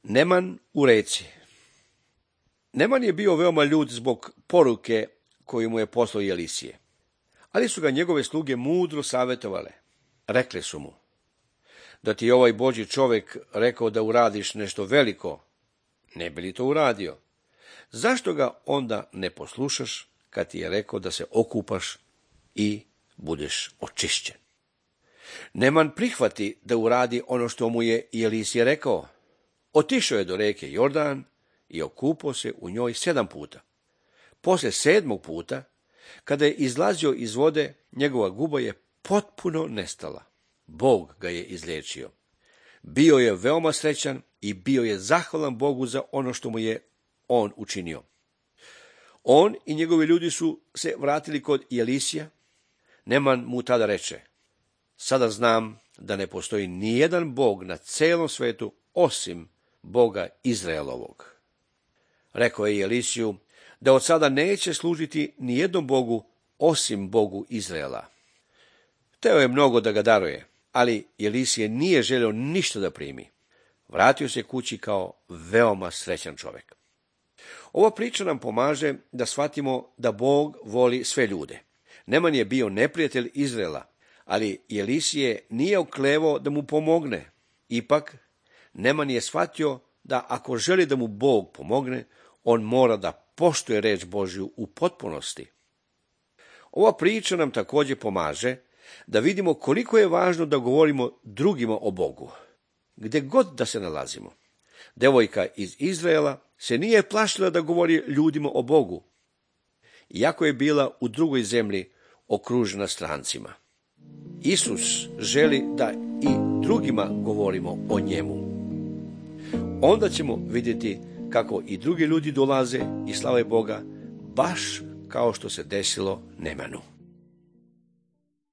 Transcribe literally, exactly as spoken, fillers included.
Neman u reci. Neman je bio veoma ljut zbog poruke koju mu je poslao Elisije, ali su ga njegove sluge mudro savjetovale. Rekle su mu: da ti je ovaj Božji čovjek rekao da uradiš nešto veliko, ne bi li to uradio? Zašto ga onda ne poslušaš kad ti je rekao da se okupaš i budeš očišćen? Neman prihvati da uradi ono što mu je Elisije rekao. Otišao je do reke Jordan i okupao se u njoj sedam puta. Poslije sedmog puta, kada je izlazio iz vode, njegova guba je potpuno nestala. Bog ga je izliječio. Bio je veoma srećan i bio je zahvalan Bogu za ono što mu je on učinio. On i njegovi ljudi su se vratili kod Elisija. Neman mu tada reče: sada znam da ne postoji nijedan Bog na celom svetu osim Boga Izraelovog. Rekao je Elisiju da od sada neće služiti nijednom Bogu osim Bogu Izraela. Hteo je mnogo da ga daruje, ali Elisije nije želio ništa da primi. Vratio se kući kao veoma srećan čovjek. Ova priča nam pomaže da shvatimo da Bog voli sve ljude. Neman je bio neprijatelj Izraela, ali Elisije nije oklevao da mu pomogne. Ipak, Neman je shvatio da ako želi da mu Bog pomogne, on mora da poštuje reč Božju u potpunosti. Ova priča nam također pomaže da vidimo koliko je važno da govorimo drugima o Bogu, gdje god da se nalazimo. Devojka iz Izraela se nije plašila da govori ljudima o Bogu, iako je bila u drugoj zemlji okružena strancima. Isus želi da i drugima govorimo o njemu. Onda ćemo vidjeti kako i drugi ljudi dolaze i slave Boga, baš kao što se desilo Nemanu.